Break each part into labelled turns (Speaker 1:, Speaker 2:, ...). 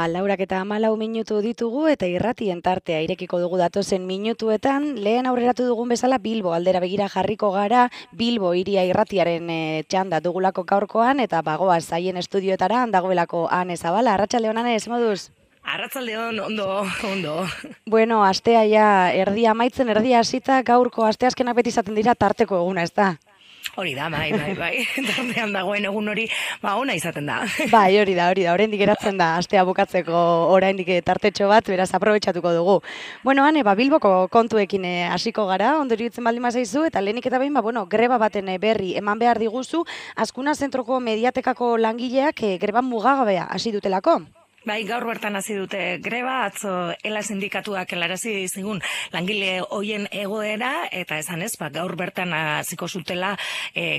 Speaker 1: Laurak eta 14 minutu ditugu eta irratien tartea irekiko dugu datozen minutuetan. Lehen aurreratu dugun bezala Bilbo aldera begira jarriko gara, Bilbo hiria irratiaren txanda dugulako gaurkoan eta bagoaz haien estudioetara dagoelako Ane Zabala. Arratsaldeon Ane, moduz?
Speaker 2: Arratsaldeon, ondo.
Speaker 1: Bueno, astea ja erdia amaitzen, erdia hasita, gaurko asteazkenak beti izaten dira tarteko eguna, ez da?
Speaker 2: Hori da, bai. Tartean dagoen egun hori, ona izaten da.
Speaker 1: Bai, hori da, oraindik geratzen da, astea bukatzeko oraindik tartetxo bat, beraz aprobetxatuko dugu. Bueno, Ane, Bilboko kontuekin hasiko gara, ondori itzen baldin bazaizu, eta lehenik eta behin, greba baten berri eman behar diguzu, Azkuna Zentroko Mediatekako langileak greba mugagabea hasi dutelako.
Speaker 2: Bai, gaur bertan hasi dute greba, atzo ELA sindikatuak helarazi zigun langile hoien egoera, eta esanez, gaur bertan hasiko zutela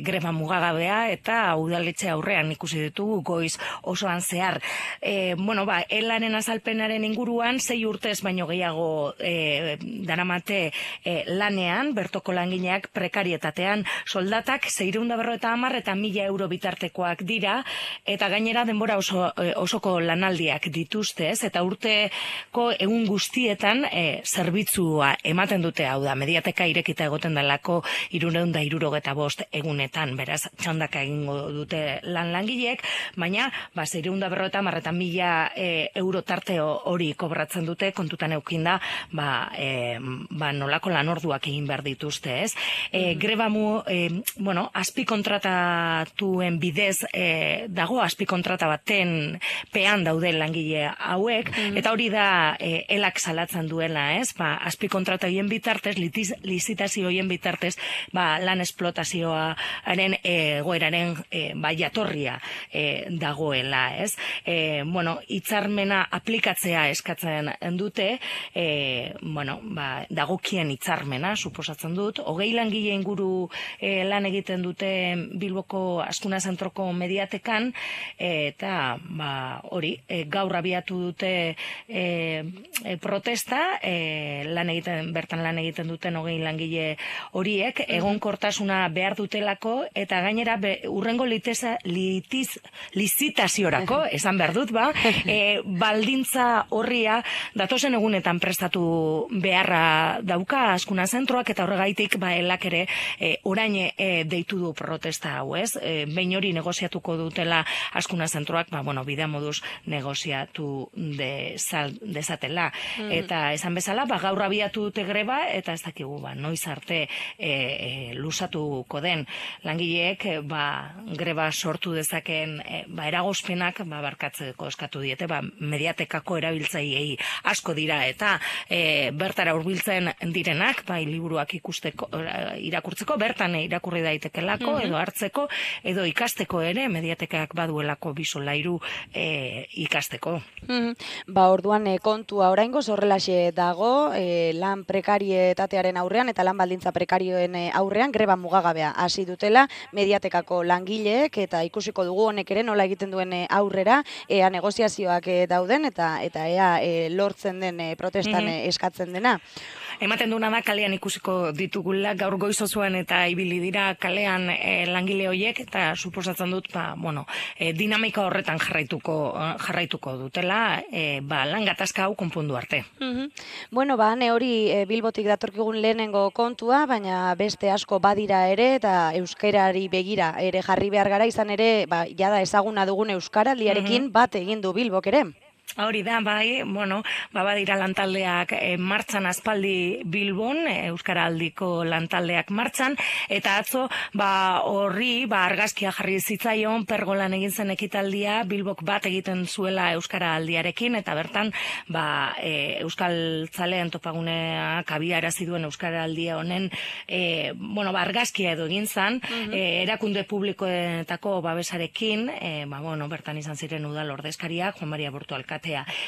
Speaker 2: greba mugagabea, eta udaletxe aurrean ikusi ditugu goiz osoan zehar. ELAren azalpenaren inguruan, 6 urtez baino gehiago daramate lanean, bertoko langileak prekarietatean soldatak 650 eta 1000 euro bitartekoak dira, eta gainera denbora osoko lanaldiak dituzte, eta urteko egun guztietan zerbitzua ematen dute, hau da, Mediateka irekita egoten dalako 365 egunetan, beraz, txandaka egingo dute langileek, baina 650 eta 1000 euro tarte hori kobratzen dute, kontutan eukinda, nolako lanorduak egin behar dituzte, ez? Greba azpikontratatuen bidez dago, azpikontrata baten pean daude langile hauek, eta hori da ELAk salatzen duela, ez? Azpikontrata hoien bitartez, lizitazio hoien bitartez, lan esplotazioaren egoeraren jatorria dagoela, ez? Hitzarmena aplikatzea eskatzen dute, dagokien hitzarmena, suposatzen dut, 20 langile inguru lan egiten dute Bilboko Azkuna Zentroko Mediatekan, eta hori, gaur abiatu dute protesta, bertan lan egiten duten 20 langile horiek, egonkortasuna behar dutelako, eta gainera urrengo lizitaziorako, esan behar dut, baldintza horria datozen egunetan prestatu beharra dauka Azkuna Zentroak, eta horregaitik ELAk ere orain deitu du protesta hau, ez? Behin hori negoziatuko dutela Azkuna Zentroak, bidea moduz negoziatu dezatela. Eta esan bezala, gaur abiatu dute greba, eta ez dakigu, noiz arte luzatuko den langileek, greba sortu dezaken eragozpenak barkatzeko eskatu diete, Mediatekako erabiltzaileei asko dira, eta bertara hurbiltzen direnak, liburuak irakurtzeko, bertan irakurri daitekelako, edo hartzeko, edo ikasteko ere, Mediatekak baduelako bisolairu ikasteko.
Speaker 1: Orduan kontua oraingoz horrelaxe dago, lan prekarietatearen aurrean eta lan baldintza prekarioen aurrean greba mugagabea hasi dutela Mediatekako langileek, eta ikusiko dugu honek ere nola egiten duen aurrera, ea negoziazioak dauden eta ea lortzen den protestan eskatzen dena.
Speaker 2: Ematen duna da kalean ikusiko ditugula, gaur goizozuan eta ibili dira kalean langile horiek, eta suposatzen dut, dinamika horretan jarraituko dutela, lan gatazka hau konpondu arte.
Speaker 1: Hane hori Bilbotik datorkigun lehenengo kontua, baina beste asko badira ere, eta euskarari begira ere jarri behar gara, izan ere, jada ezaguna dugun euskaraldiarekin bat egin du Bilbok ere.
Speaker 2: Hori da, badira lantaldeak martxan aspaldi Bilbon, Euskaraldiko lantaldeak martxan, eta atzo horri argazkia jarri zitzaion pergolan egin zen ekitaldia Bilbok bat egiten zuela Euskaraldiarekin, eta bertan Euskaltzaleen topaguneak abiarazi duen Euskaraldia honen argazkia edo egin zen, erakunde publikoetako babesarekin, bertan izan ziren udal ordezkariak, Juan Maria Bortu alkatea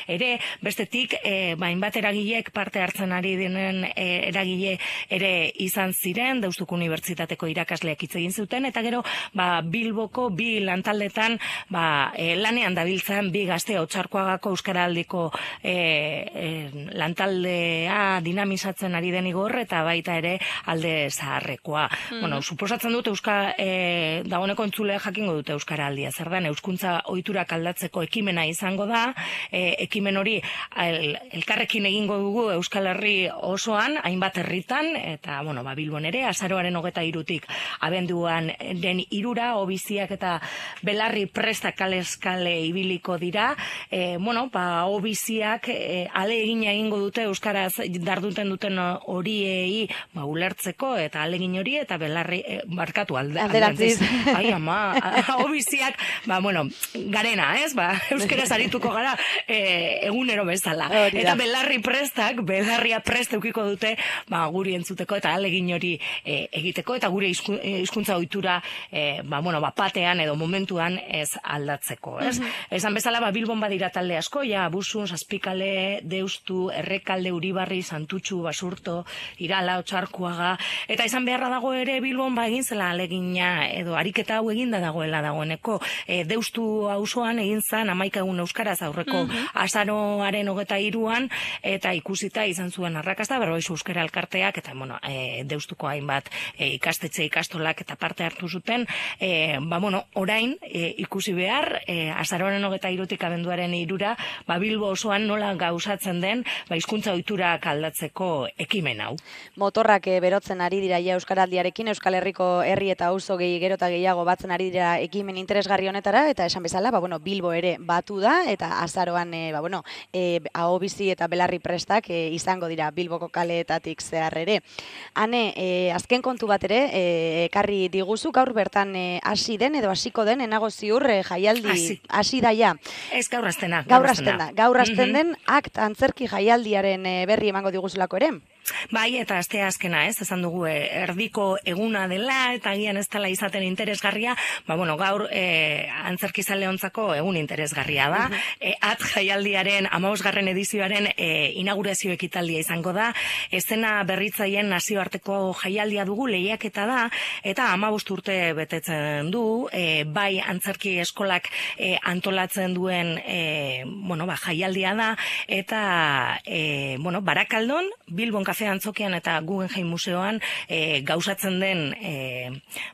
Speaker 2: ere, bestetik, hainbat eragileek parte hartzen ari denen eragile ere izan ziren, Deustuko Unibertsitateko irakasleak hitz egin zuten, eta gero, Bilboko bi lantaldetan lanean dabiltzan bi gazte Otxarkoagako Euskaraldiko lantaldea dinamizatzen ari den igor, eta baita ere alde zaharrekoa. Suposatzen dut dagoeneko entzulea jakingo dute Euskaraldia, zer den, euskuntza ohiturak aldatzeko ekimena izango da, ekimen hori elkarrekin egingo dugu Euskal Herri osoan, hainbat herritan, eta Bilbon ere, azaroaren 23tik abenduan den 3 obiziak eta belarri presta kalez kale ibiliko dira. Obiziak alegina egingo dute euskaraz darduten duten horiei ulertzeko, eta alegin hori eta belarri barkatu alderantziz. Ai ama, obiziak garena, ez? Euskaraz arituko gara egunero bezala. Eta belarri prestak, belarria prest eukiko dute guri entzuteko eta alegin hori egiteko, eta gure hizkuntza ohitura batean edo momentuan ez aldatzeko, ez? Esan bezala Bilbon badira talde asko, Busun, Zazpikale, Deustu, Errekalde, Uribarri, Santutxu, Basurto, Irala, Otsarkuaga, eta izan beharra dago ere Bilbon egin zela alegina edo ariketa hau eginda dagoela dagoeneko. Deustu auzoan egin zan 11 egun euskaraz aurreko azaroaren 23an, eta ikusita izan zuen arrakasta, Berroiz euskara elkarteak eta Deustuko hainbat ikastetxe ikastolak eta parte hartu zuten. Orain ikusi behar azaroaren 23tik abenduaren 3ra Bilbo osoan nola gauzatzen den hizkuntza ohiturak aldatzeko ekimen hau.
Speaker 1: Motorrak berotzen ari dira euskaraldiarekin, Euskal Herriko herri eta auzo gero eta gehiago batzen ari dira ekimen interesgarri honetara, eta esan bezala Bilbo ere batu da, eta azaroan ahobizi eta belarri prestak izango dira Bilboko kaleetatik zehar ere. Hane, azken kontu bat ere ekarri diguzu, gaur bertan hasi den edo hasiko den, enago ziur jaialdi hasi daia.
Speaker 2: Ez gaur hastena.
Speaker 1: Gaur hasten den antzerki jaialdiaren berri emango diguzulako ere.
Speaker 2: Bai, eta astea azkena, esan dugu erdiko eguna dela, eta agian ez dela izaten interesgarria, gaur antzerkizaleontzako egun interesgarria da. Jaialdiaren 15. edizioaren inaugurazio ekitaldia izango da, eszena berritzaien nazioarteko jaialdia dugu, lehiaketa da, eta 15 urte betetzen du, bai antzerki eskolak antolatzen duen jaialdia da, eta Barakaldon, Bilbon Kafe Antzokian eta Guggenheim Museoan gauzatzen den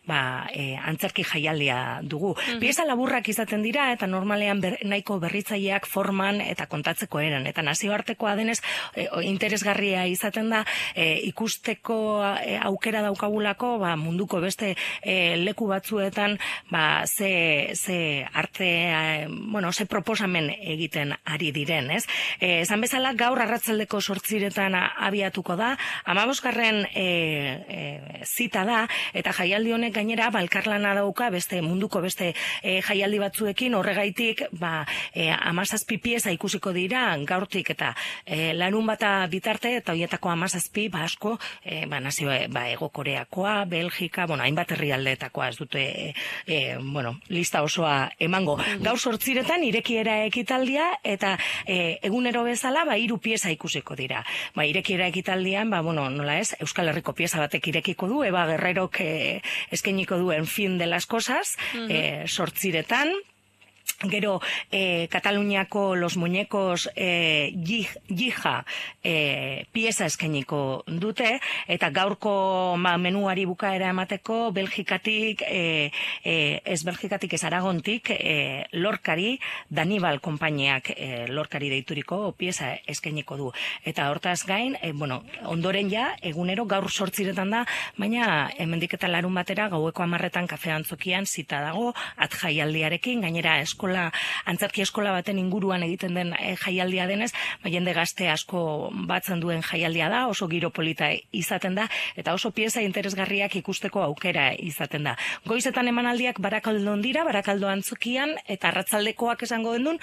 Speaker 2: antzerki jaialdia dugu. Pieza laburrak izaten dira, eta normalean nahiko berritzaileak forman eta kontatzeko eran, eta nazioartekoa denez interesgarria izaten da, ikusteko aukera daukagulako munduko beste leku batzuetan ze arte, ze proposamen egiten ari diren, ez? Esan bezala gaur arratsaldeko 8 abiatuko da, 15. zita da, eta jaialdi honek gainera elkarlana dauka munduko beste jaialdi batzuekin, horregaitik 17 pieza ikusiko dira gaurtik eta larunbata bitarte, eta horietako 17 asko nazio Hego Koreakoa, Belgika, hainbat herrialdeetakoa, ez dute lista osoa emango. Gaur 8 irekiera ekitaldia, eta egunero bezala 3 pieza ikusiko dira. Irekiera ekitaldian, nola ez, Euskal Herriko pieza batek irekiko du, Eba Guerrerok eskainiko duen Fin de las Cosas, 8 Gero, Kataluniako Los Muñecos Jija pieza eskainiko dute, eta gaurko menuari bukaera emateko Belgikatik, ez Aragontik, Lorcari, Danibal konpainiak Lorcari deituriko pieza eskainiko du. Eta hortaz gain, ondoren egunero gaur 8 da, baina hemendik eta larun batera gaueko 10 Kafe Antzokian zita dago, jaialdiarekin, gainera antzerki eskola baten inguruan egiten den jaialdia denez, jende gazte asko batzen duen jaialdia da, oso giro polita izaten da, eta oso pieza interesgarriak ikusteko aukera izaten da. Goizetan emanaldiak Barakaldon dira, Barakaldo Antzokian, eta arratzaldekoak esango dendun,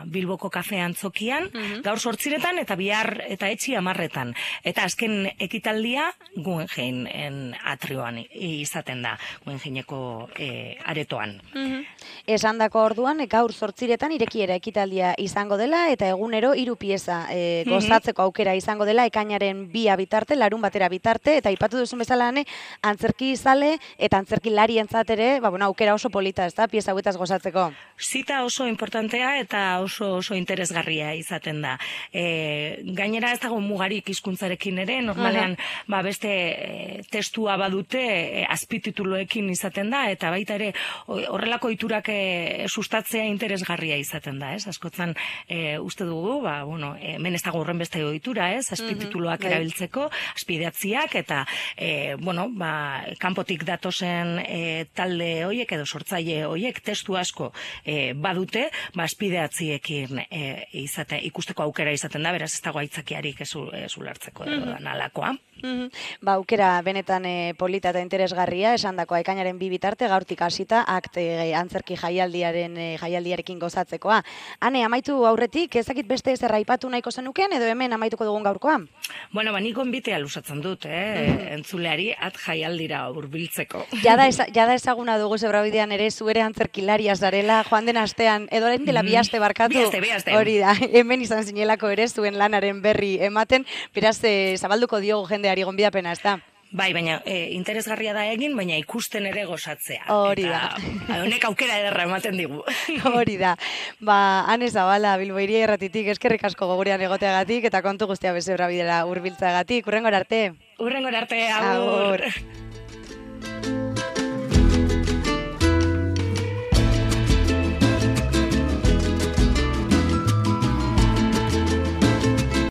Speaker 2: Bilboko Kafe Antzokian, gaur 8 eta bihar eta etxi 10. Eta azken ekitaldia Guggenheim atrioan izaten da, Guggenheimeko aretoan.
Speaker 1: Esandako orduan, gaur 8 irekiera ekitaldia izango dela, eta egunero 3 pieza gozatzeko aukera izango dela, ekainaren 2 bitarte, larun batera bitarte, eta aipatu duzun bezala antzerki izale eta antzerki larientzat ere, aukera oso polita, ez da, pieza hauetaz gozatzeko.
Speaker 2: Zita oso importantea eta oso interesgarria izaten da. Gainera ez dago mugarik hizkuntzarekin ere, normalean beste testua badute azpitituloekin izaten da, eta baita ere horrelako iturak azpitituluak sustatzea interesgarria izaten da, ez? Askotan uste dugu, hemen ez dago horren beste ohitura, ez? Azpitituluak erabiltzeko, azpidatziak eta kanpotik datozen talde hoiek edo sortzaile hoiek testu asko badute, azpidatziekin ikusteko aukera izaten da, beraz ez dago aitzakiarik ez ulertzeko edo nalakoa.
Speaker 1: Aukera benetan polita eta interesgarria, esandakoa ekainaren 2 bitarte gaurtik hasita antzerki jaialdiarekin gozatzekoa. Hane, amaitu aurretik, ezakit beste ezer aipatu nahiko zenuken edo hemen amaituko dugun gaurkoa?
Speaker 2: Nik gonbitea luzatzen dut, entzuleari jaialdira hurbiltzeko.
Speaker 1: Jada ezaguna dugu Zebrabidean ere zuere antzerkilaria zarela, joan den astean, edo orain dela 2 aste barkatu.
Speaker 2: 2 aste.
Speaker 1: Hori da, hemen izan zinelako ere zuen lanaren berri ematen, beraz zabalduko diogu jendeari gonbidapena, ez da?
Speaker 2: Bai, baina interesgarria da egin, baina ikusten ere gozatzea.
Speaker 1: Hori da.
Speaker 2: Honek aukera ederra ematen digu.
Speaker 1: Hori da. Ane Zabala, Bilbo Hiria Irratitik, eskerrik asko gogurean egoteagatik eta kontu guztia Zebrabidera hurbiltzeagatik. Hurrengora arte.
Speaker 2: Agur.